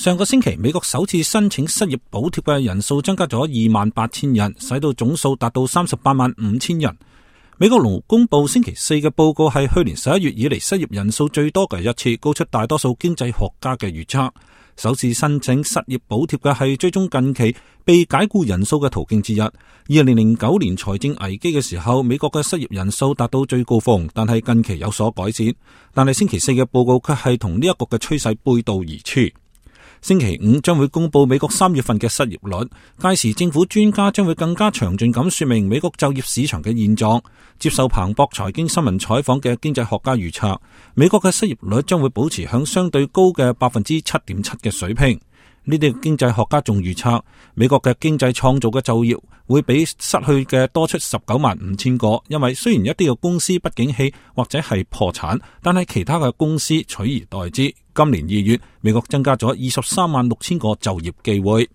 上個星期，美國首次申請失業補貼嘅人數增加咗28,000人，使到總數達到38.5萬人。美國勞工部星期四嘅報告係去年11月以嚟失業人數最多嘅一次，高出大多數經濟學家嘅預測。首次申請失業補貼嘅係追蹤近期被解僱人數嘅途徑之一。2009年財政危機嘅時候，美國嘅失業人數達到最高峰，但係近期有所改善。但係星期四嘅報告卻係同呢一個嘅趨勢背道而馳。星期五將會公布美國3月份嘅失業率，屆時政府專家將會更加詳盡咁說明美國就業市場嘅現狀。接受彭博財經新聞採訪嘅經濟學家預測，美國嘅失業率將會保持響相對高嘅7.7%嘅水平。呢啲經濟學家仲預測，美國嘅經濟創造嘅就業會比失去嘅多出19.5萬個，因為雖然一啲嘅公司不景氣或者係破產，但係其他嘅公司取而代之。今年2月，美國增加咗23.6萬個就業機會。